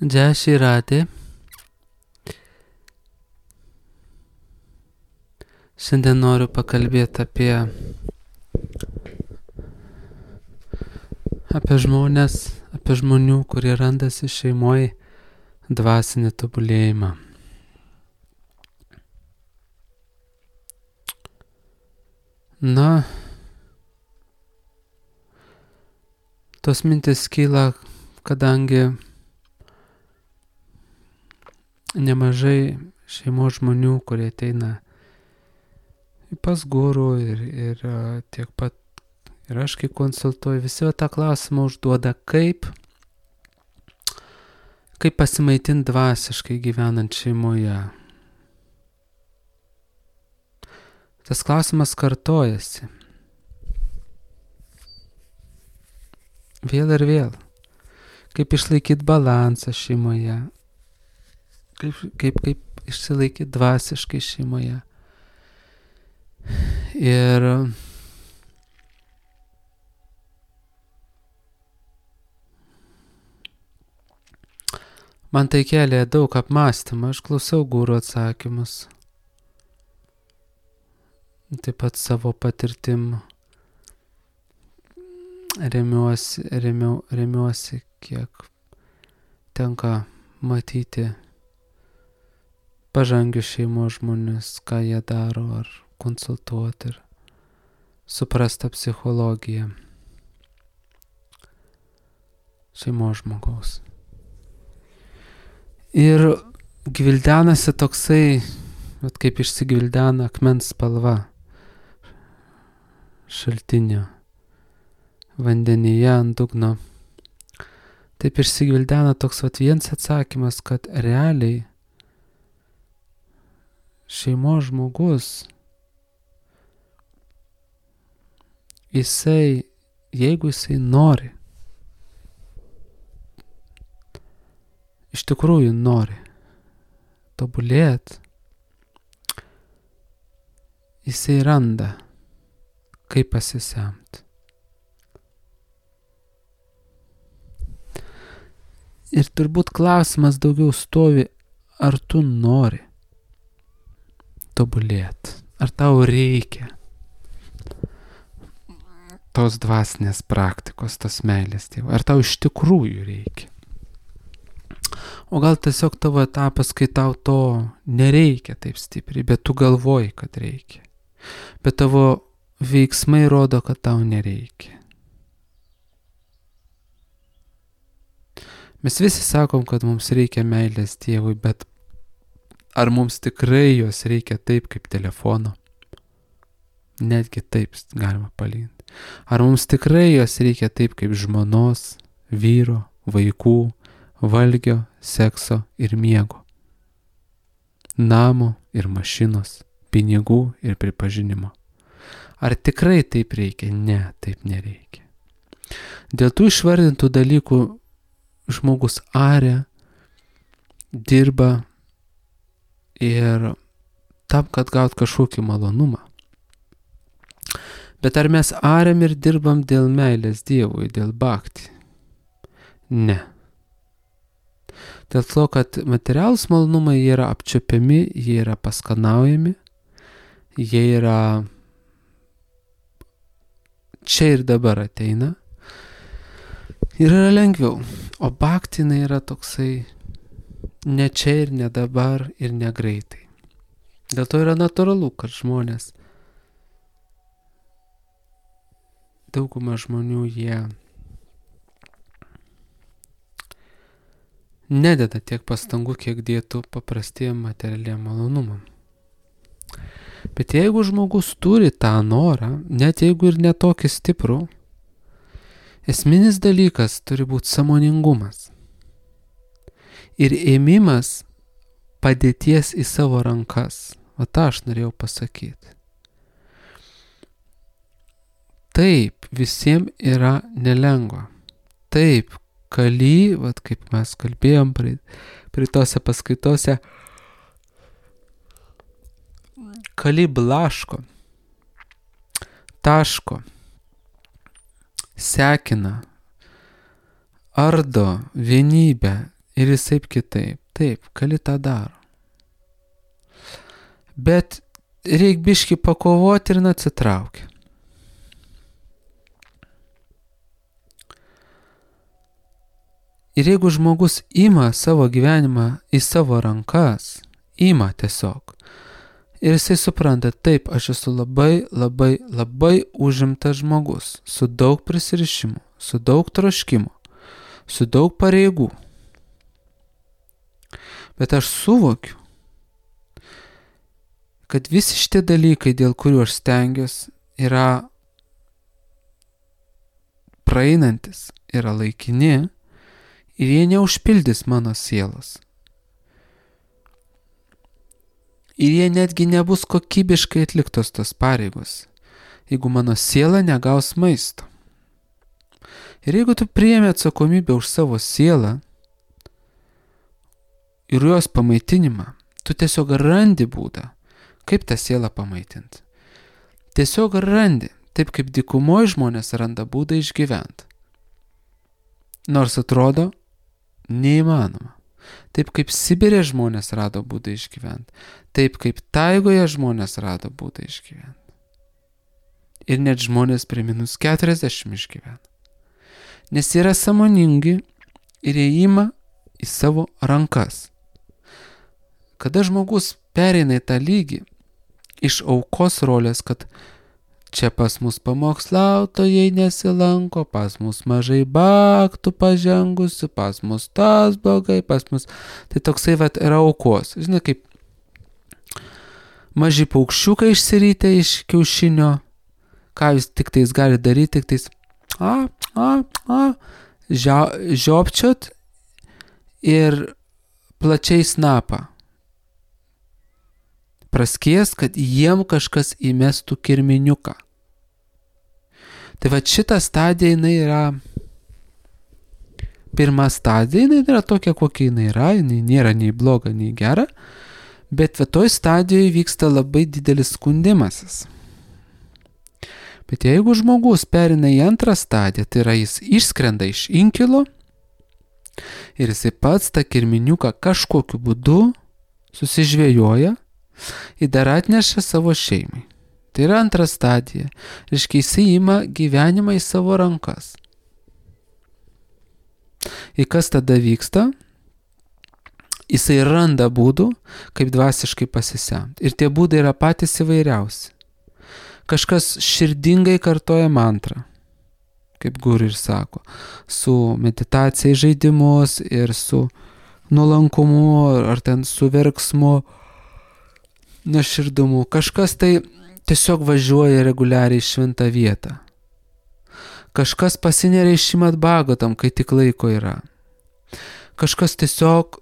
Jai Shri Radhe. Šiandien noriu pakalbėti apie žmonės, apie žmonių, kurie randasi šeimoje dvasinį tobulėjimą. Na, tos mintis kyla, kadangi nemažai šeimos žmonių, kurie ateina pas guru ir tiek pat ir aš kai konsultuoju, visi tą klausimą užduoda, kaip pasimaitinti dvasiškai gyvenant šeimoje. Tas klausimas kartojasi. Vėl ir vėl. Kaip išlaikyti balansą šeimoje. Kaip išsilaikyti dvasiškai šeimoje. Ir man tai kelia daug apmąstymą, aš klausau guru atsakymus. Taip pat savo patirtim remiuosi, kiek tenka matyti pažangius šeimos žmonės, ką jie daro, ar konsultuoti ir suprasti psichologiją šeimos žmogaus. Ir gvildenasi toksai, kaip išsigvildena akmens spalva šaltinio vandenyje ant dugno. Taip išsigvildena toks vienas atsakymas, kad realiai šeimos žmogus, jeigu jisai nori, iš tikrųjų nori tobulėti, jisai randa, kaip pasisemti. Ir turbūt klausimas daugiau stovi, ar tu nori tobulėti, ar tau reikia tos dvasinės praktikos, tos meilės Dievui, ar tau iš tikrųjų reikia. O gal tiesiog tavo etapas, kai tau to nereikia taip stipriai, bet tu galvoji, kad reikia. Bet tavo veiksmai rodo, kad tau nereikia. Mes visi sakom, kad mums reikia meilės Dievui, bet ar mums tikrai jos reikia taip kaip telefono? Netgi taip galima palyginti. Ar mums tikrai jos reikia taip kaip žmonos, vyro, vaikų, valgio, sekso ir miego, namo ir mašinos, pinigų ir pripažinimo? Ar tikrai taip reikia? Ne, taip nereikia. Dėl tų išvardintų dalykų žmogus aria, dirba ir tam, kad gaut kažkokį malonumą. Bet ar mes ariam ir dirbam dėl meilės Dievui, dėl bhakti? Ne. Dėl to, kad materialūs malonumai jie yra apčiuopiami, jie yra paskanaujami, jie yra čia ir dabar ateina ir yra lengviau. O bhakti yra toksai ne čia ir ne dabar ir ne greitai. Dėl to yra natūralu, kad dauguma žmonių jie nededa tiek pastangų, kiek dėtų paprastiem materialiem malonumam. Bet jeigu žmogus turi tą norą, net jeigu ir netokį stiprų, esminis dalykas turi būti sąmoningumas ir ėmimas padėties į savo rankas. O tą aš norėjau pasakyti. Taip, visiems yra nelengva. Taip, kali, kaip mes kalbėjom prie tose paskaitose, kali blaško, taško, sekina, ardo vienybę ir jisai kitaip. Taip, gali tą daro. Bet reik biškį pakovoti ir atsitraukia. Ir jeigu žmogus ima savo gyvenimą į savo rankas, ima tiesiog, ir jisai supranta, taip, aš esu labai užimtas žmogus, su daug prisirišimų, su daug troškimų, su daug pareigų. Bet aš suvokiu, kad visi šitie dalykai, dėl kurių aš stengiuosi, yra praeinantis, yra laikini ir jie neužpildys mano sielos. Ir jie netgi nebus kokybiškai atliktos tos pareigos, jeigu mano siela negaus maisto. Ir jeigu tu priimi atsakomybę už savo sielą ir jos pamaitinimą, tu tiesiog randi būdą, kaip tą sielą pamaitinti. Tiesiog randi, taip kaip dykumoje žmonės randa būdą išgyventi. Nors atrodo neįmanoma. Taip kaip Sibirė žmonės rado būdą išgyventi. Taip kaip taigoje žmonės rado būdą išgyventi. Ir net žmonės prie -40 išgyvena. Nes yra sąmoningi ir jie ima į savo rankas. Kada žmogus pereina į tą lygį iš aukos rolės, kad čia pas mus pamokslautojai nesilanko, pas mus mažai baktų pažengusių, pas mus tas blogai, pas mus... Tai toksai yra aukos. Žinai, kaip maži paukščiukai išsirytę iš kiaušinio, ką jūs tik tais gali daryti, tik tais žiopčiot ir plačiai snapą praskies, kad jiem kažkas įmestų kirminiuką. Tai va šita stadija, jinai yra pirma stadija, jinai yra tokia, kokia jinai yra, jinai nėra nei bloga, nei gera, bet va toj stadijoje vyksta labai didelis skundimasis. Bet jeigu žmogus perina į antrą stadiją, tai yra jis išskrenda iš inkilo ir jisai pats tą kirminiuką kažkokiu būdu susižvėjoja ir dar atneša savo šeimai. Tai yra antra stadija. Reiškia, jisai ima gyvenimą į savo rankas. Ir kas tada vyksta? Jisai randa būdų, kaip dvasiškai pasisemti. Ir tie būdai yra patys įvairiausi. Kažkas širdingai kartoja mantrą, kaip guru ir sako, su meditacija į žaidimus ir su nuolankumu, ar ten su verksmu, nuoširdumu. Kažkas tai tiesiog važiuoja reguliariai į šventą vietą. Kažkas pasineria į Šrimad Bhagavatam, kai tik laiko yra. Kažkas tiesiog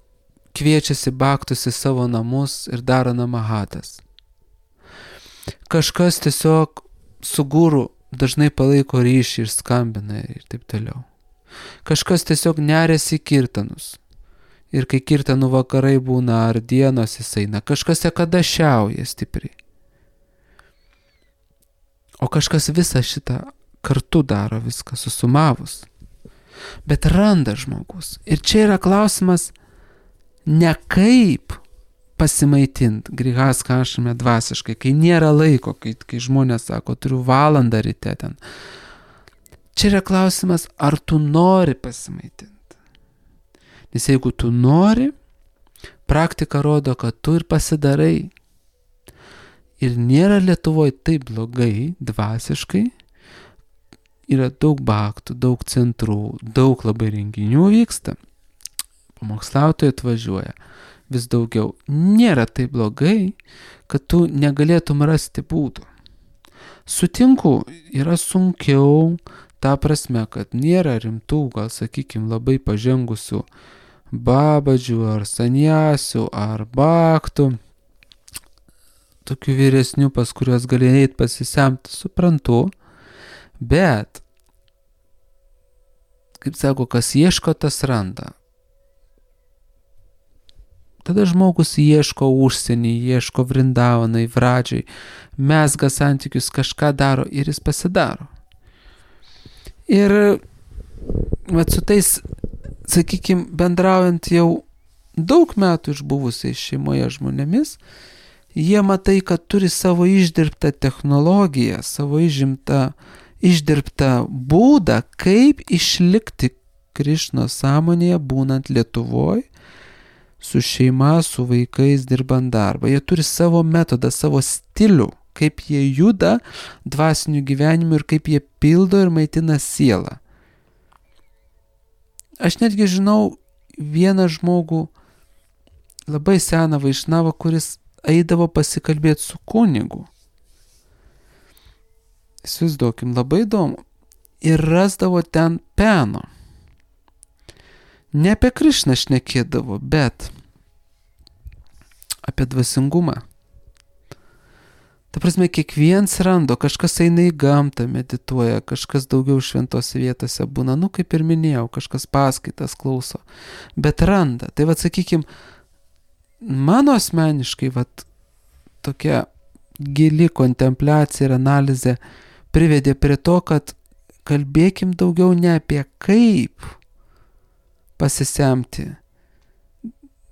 kviečiasi bhaktus į savo namus ir daro namahatas. Kažkas tiesiog su guru dažnai palaiko ryšį ir skambina ir taip toliau. Kažkas tiesiog neriasi į kirtanus. Ir kai kirtanų vakarai būna ar dienos jis eina, kažkas kada šiauja stipriai. O kažkas visą šitą kartu daro, viską susumavus. Bet randa žmogus. Ir čia yra klausimas ne kaip pasimaitinti grihastha ašrame dvasiškai, kai nėra laiko, kai žmonės sako, turiu valandą ryte ten. Čia yra klausimas, ar tu nori pasimaitinti. Nes jeigu tu nori, praktika rodo, kad tu ir pasidarai. Ir nėra Lietuvoje taip blogai dvasiškai. Yra daug bhaktų, daug centrų, daug labai renginių vyksta. Pamokslautojai atvažiuoja vis daugiau. Nėra taip blogai, kad tu negalėtum rasti būdų. Sutinku, yra sunkiau, ta prasme, kad nėra rimtų, gal sakykime, labai pažengusių babadžių ar saniasių ar bhaktų, tokių vyresnių, pas kuriuos gali eiti pasisemti, suprantu, bet, kaip sako, kas ieško, tas randa. Tada žmogus ieško užsienį, ieško Vrindavanai, Vradžiai, mezga santykius, kažką daro ir jis pasidaro. Ir vat su tais sakykime, bendraujant jau daug metų išbuvusiais šeimoje žmonėmis, jie matai, kad turi savo išdirbtą technologiją, savo išdirbtą būdą, kaip išlikti Krišnos sąmonėje, būnant Lietuvoje, su šeima, su vaikais, dirbant darbą. Jie turi savo metodą, savo stilių, kaip jie juda dvasiniu gyvenimu ir kaip jie pildo ir maitina sielą. Aš netgi žinau vieną žmogų, labai seną vaišnavą, kuris eidavo pasikalbėti su kunigu. Įsivaizduokim, labai įdomu. Ir rasdavo ten peno. Ne apie Krišną šnekėdavo, bet apie dvasingumą. Ta prasme, kiekvienas rando, kažkas eina į gamtą, medituoja, kažkas daugiau šventose vietose būna, kaip ir minėjau, kažkas paskaitas klauso, bet randa. Tai sakykime, mano asmeniškai tokia gili kontempliacija ir analizė privedė prie to, kad kalbėkim daugiau ne apie kaip pasisemti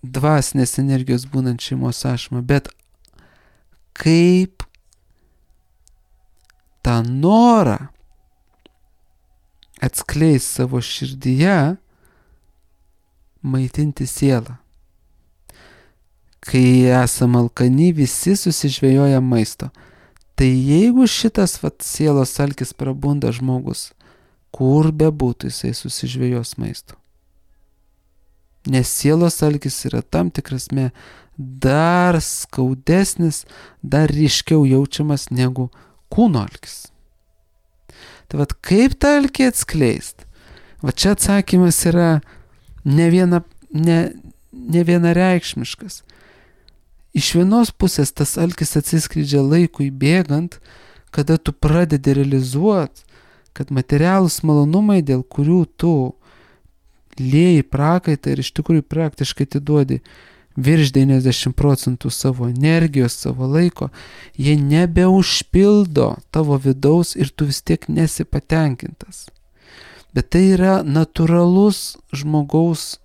dvasinės energijos būnant šeimos ašmą, bet kaip tą norą atskleis savo širdyje maitinti sielą. Kai esame alkani, visi susižvejoja maisto. Tai jeigu šitas sielos alkis prabunda žmogus, kur bebūtų jisai susižvejos maisto. Nes sielos alkis yra tam tikrasme dar skaudesnis, dar ryškiau jaučiamas negu kūno alkis. Tai kaip tą alkį atskleist? Čia atsakymas yra ne vienareikšmiškas. Iš vienos pusės tas alkis atsiskleidžia laikui bėgant, kada tu pradedi realizuoti, kad materialūs malonumai, dėl kurių tu lieji prakaitą ir iš tikrųjų praktiškai atiduodi virš 90% savo energijos, savo laiko, jie nebeužpildo tavo vidaus ir tu vis tiek nesi patenkintas. Bet tai yra natūralus žmogaus,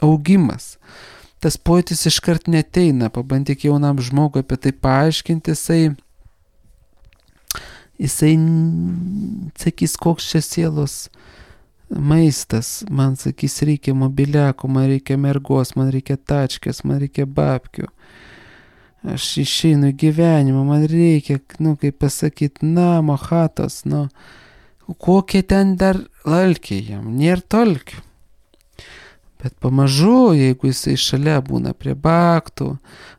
augimas. Tas pojūtis iškart neteina, pabandyk jaunam žmogui apie tai paaiškinti, jisai sakys, koks čia sielos maistas, man sakys, reikia mobiliako, man reikia mergos, man reikia tačkės, man reikia babkių. Aš išeinu į gyvenimą, man reikia, namo, chatos, kokie ten dar alkiai jam, nėra tolkių. Bet pamažu, jeigu jisai šalia būna prie baktų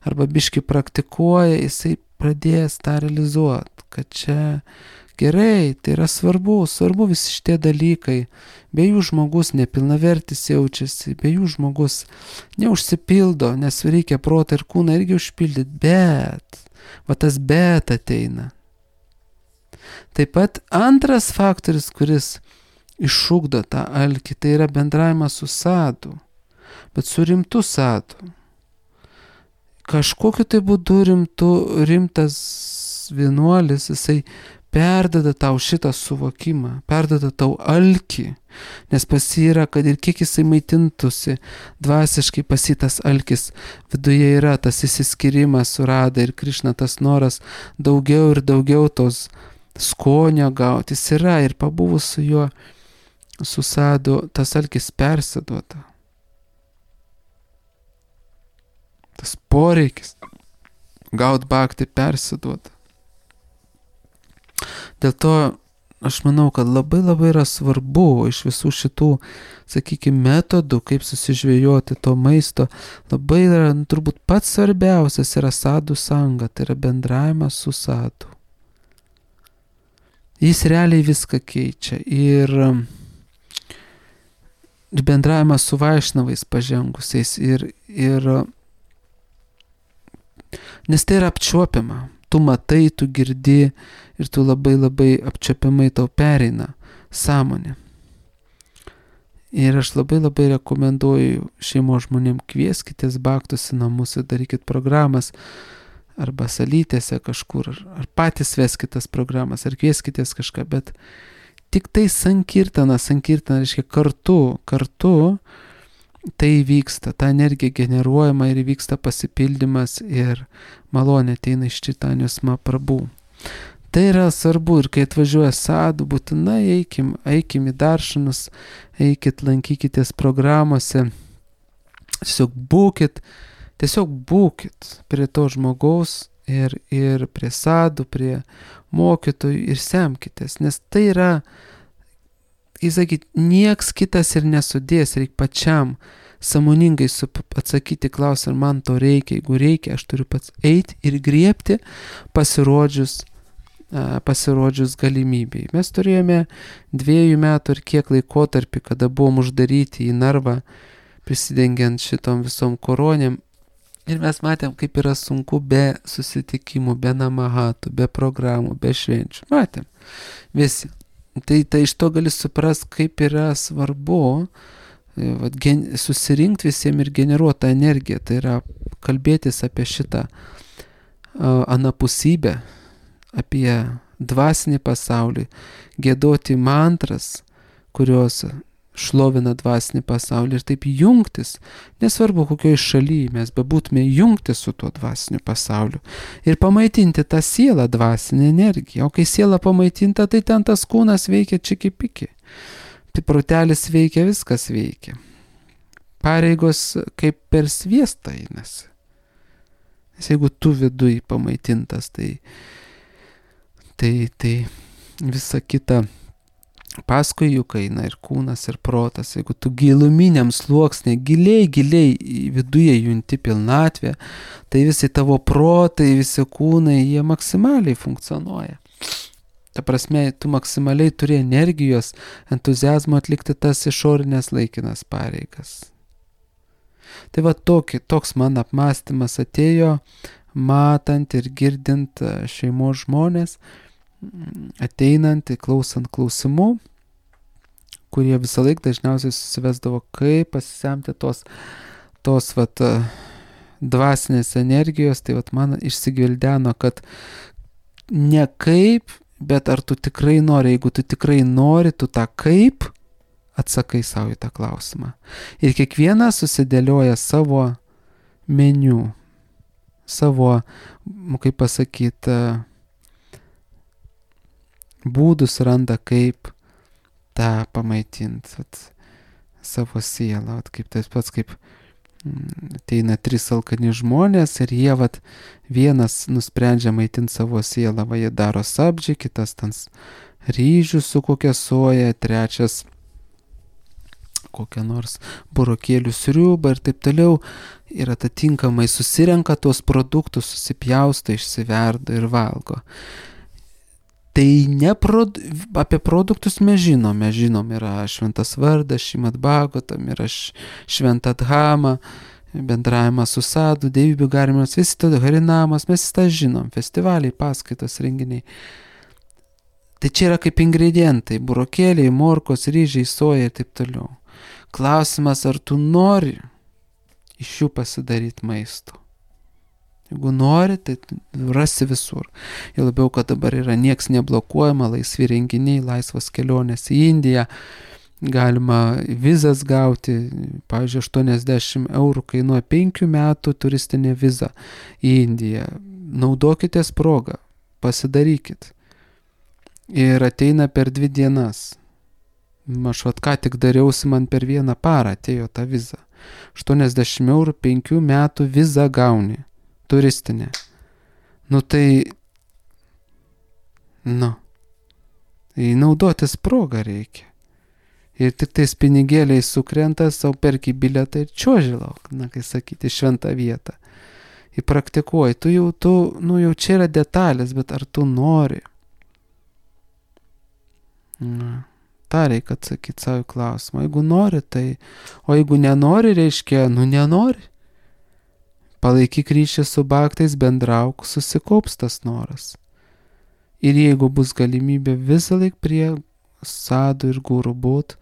arba biški praktikuoja, jisai pradės tą realizuoti, kad čia gerai, tai yra svarbu visi šitie dalykai. Be jų žmogus nepilnavertis jaučiasi, be jų žmogus neužsipildo, nes reikia protą ir kūną irgi užpildyti, bet tas bet ateina. Taip pat antras faktorius, kuris išugdo tą alkį, tai yra bendravimas su sadu, bet su rimtu sadu. Kažkokiu tai būdu rimtas vienuolis, jisai perdada tau šitą suvokimą, perdada tau alkį, nes pas jį yra, kad ir kiek jisai maitintųsi dvasiškai, pas jį tas alkis viduje yra, tas įsiskyrimas su Rada ir Krišna, tas noras daugiau ir daugiau tos skonio gauti, jis yra ir pabuvus su juo, su sadu, tas alkis persiduoda. Tas poreikis gaut bhakti persiduoda. Dėl to aš manau, kad labai yra svarbu iš visų šitų, metodų, kaip susižvejoti to maisto, labai yra, turbūt pats svarbiausias yra sadhu sanga, tai yra bendravimas su sadhu. Jis realiai viską keičia ir bendravimas su vaišnavais pažengusiais ir nes tai yra apčiuopiama. Tu matai, tu girdi ir tu labai apčiuopiamai tau pereina sąmonė. Ir aš labai rekomenduoju šeimos žmonėm, kvieskitės bhaktus į namus ir darykit programas. arba salytėse kažkur, ar patys veskitės programas, ar kvieskitės kažką, bet tik tai sankirtana reiškia kartu tai vyksta, ta energija generuojama ir vyksta pasipildymas ir malonė ateina iš Čaitanjos Mahaprabhu. Tai yra svarbu ir kai atvažiuoja sadhu, būtinai eikim į daršanus, eikit, lankykitės programuose, tiesiog būkit prie to žmogaus ir prie sadhu, prie mokytojų ir semkitės, nes tai yra, nieks kitas ir nesudės, reikia pačiam sąmoningai atsakyti klausimą, ar man to reikia, jeigu reikia, aš turiu pats eiti ir griebti pasirodžius galimybei. Mes turėjome 2 metų ir kiek laikotarpį, kada buvom uždaryti į narvą, prisidengiant šitom visom koronėm. Ir mes matėm, kaip yra sunku be susitikimų, be namahatų, be programų, be švenčių. Matėm visi. Tai iš to gali suprast, kaip yra svarbu susirinkti visiems ir generuoti tą energiją. Tai yra kalbėtis apie šitą anapusybę, apie dvasinį pasaulį, giedoti mantras, kurios šlovina dvasinį pasaulį ir taip jungtis, nesvarbu kokioje šalyje mes bebūtume, jungtis su tuo dvasiniu pasauliu ir pamaitinti tą sielą dvasinę energiją. O kai siela pamaitinta, tai ten tas kūnas veikia čiki-piki. Tai protelis veikia, viskas veikia. Pareigos kaip per sviestą einasi. Nes jeigu tu viduj pamaitintas, tai visa kita paskui juk eina ir kūnas, ir protas. Jeigu tu giluminiam sluoksnė, giliai viduje junti pilnatvę, tai visi tavo protai, visi kūnai, jie maksimaliai funkcionuoja. Ta prasme, tu maksimaliai turi energijos, entuziazmo atlikti tas išorinės laikinas pareigas. Tai va toks man apmąstymas atėjo, matant ir girdint šeimos žmonės, ateinant, klausant klausimų, kurie visą laiką dažniausiai susivesdavo, kaip pasisemti tos dvasinės energijos. Tai man išsigvildeno, kad ne kaip, bet ar tu tikrai nori. Jeigu tu tikrai nori, tu tą kaip atsakai savo į tą klausimą. Ir kiekvienas susidėlioja savo meniu, savo, kaip pasakyti, būdus randa, kaip tą pamaitinti savo sielą. Kaip tas pats, kaip ateina 3 alkani žmonės ir jie vienas nusprendžia maitinti savo sielą, jie daro sabdžiai, kitas ten ryžių su kokia soja, trečias kokią nors burokėlių sriubą ir taip toliau. Ir atitinkamai susirenka tuos produktus, susipjausto, išsiverda ir valgo. Tai apie produktus mes žinom, yra Šventas Vardas, Šrimad Bhagavatam, yra Šventa Dhama, bendravimas su sadhu, dievybių garbinimas, visi to harinamas, mes tą žinom, festivaliai, paskaitos, renginiai. Tai čia yra kaip ingredientai, burokėliai, morkos, ryžiai, soja ir taip toliau. Klausimas, ar tu nori iš jų pasidaryti maisto. Jeigu nori, tai rasi visur. Ir labiau, kad dabar yra nieks neblokuojama, laisvi renginiai, laisvas kelionės į Indiją, galima vizas gauti, pavyzdžiui, 80 eurų kainuoja 5 metų turistinė viza į Indiją. Naudokitės progą, pasidarykit. Ir ateina per 2 dienas. Aš ką tik dariausi, man per 1 parą atėjo ta viza. 80 eurų 5 metų vizą gauni. Turistinė. Tai naudotis progą reikia. Ir tik tais pinigėliai sukrenta, savo perki bilietą ir čiuoži lauk, kai sakyti, šventą vietą. Ir praktikuoji. Jau čia yra detalės, bet ar tu nori? Ta reikia atsakyti savo klausimą. Jeigu nori, tai... O jeigu nenori, reiškia, nenori. Palaikyk ryšį su bhaktais, bendrauk, susikaups tas noras. Ir jeigu bus galimybė visą laiką prie sadhu ir guru būt,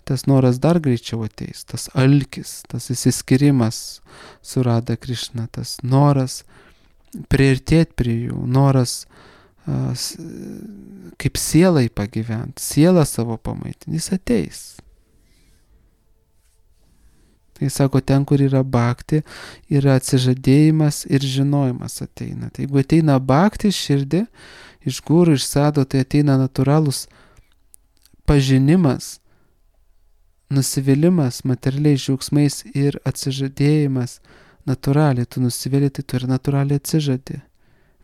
tas noras dar greičiau ateis, tas alkis, tas įsiskirimas su Radha Krishna, tas noras priartėti prie jų, noras kaip sielai pagyventi, sielą savo pamaitinti, jis ateis. Tai sako, ten, kur yra bhakti, yra atsižadėjimas ir žinojimas ateina. Tai jeigu ateina bhakti širdį, iš guru, iš sado, tai ateina natūralus pažinimas, nusivylimas materialiais džiaugsmais ir atsižadėjimas natūraliai. Tu nusivili, tai tu ir natūraliai atsižadė.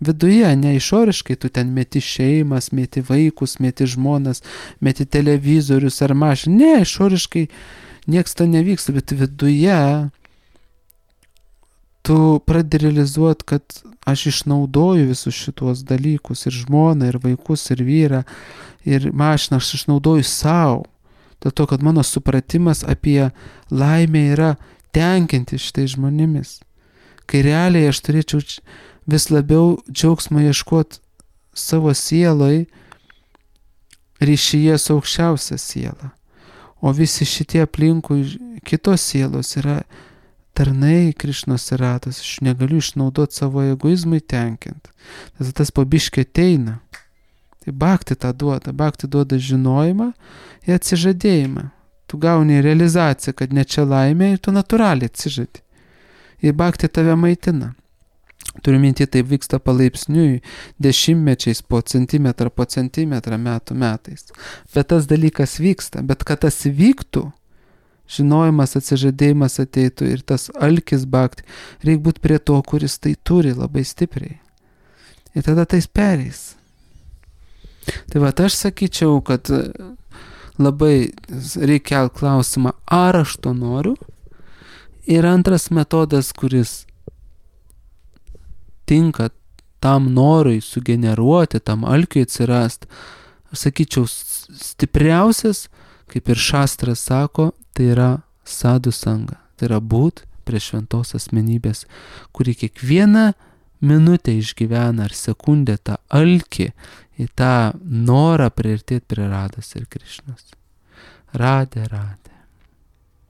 Viduje, ne išoriškai, tu ten meti šeimas, meti vaikus, meti žmonas, meti televizorius ar mašiną. Ne, išoriškai nieks to nevyksta, bet viduje tu pradedi realizuoti, kad aš išnaudoju visus šituos dalykus, ir žmoną, ir vaikus, ir vyrą, ir mašiną, aš išnaudoju savo. Dėl to, kad mano supratimas apie laimę yra tenkinti šitai žmonėmis. Kai realiai aš turėčiau vis labiau džiaugsmo ieškoti savo sieloj ryšyje su aukščiausia siela. O visi šitie aplinkui kitos sielos yra tarnai Krišnos ratas. Aš negaliu išnaudoti savo egoizmui tenkinti. Tas po biškį ateina. Tai bhakti tą duoda. Bhakti duoda žinojimą ir atsižadėjimą. Tu gauni realizaciją, kad ne čia laimė ir tu natūraliai atsižadi. Ir bhakti tave maitina. Turiu minti, tai vyksta palaipsniui, dešimtmečiais, po centimetrą, metų metais. Bet tas dalykas vyksta. Bet kad tas vyktų, žinojimas, atsižadėjimas ateitų ir tas alkis bhakti, reikia būti prie to, kuris tai turi labai stipriai. Ir tada tais pereis. Tai va, aš sakyčiau, kad labai reikia klausimą, ar aš to noriu. Ir antras metodas, kuris tinka tam norui sugeneruoti, tam alkiui atsirast, aš sakyčiau, stipriausias, kaip ir šastras sako, tai yra sadhu sanga. Tai yra būt prie šventos asmenybės, kuri kiekvieną minutę išgyvena ar sekundę tą alkį, į tą norą priartėti prie Rados ir Krišnos. Radė.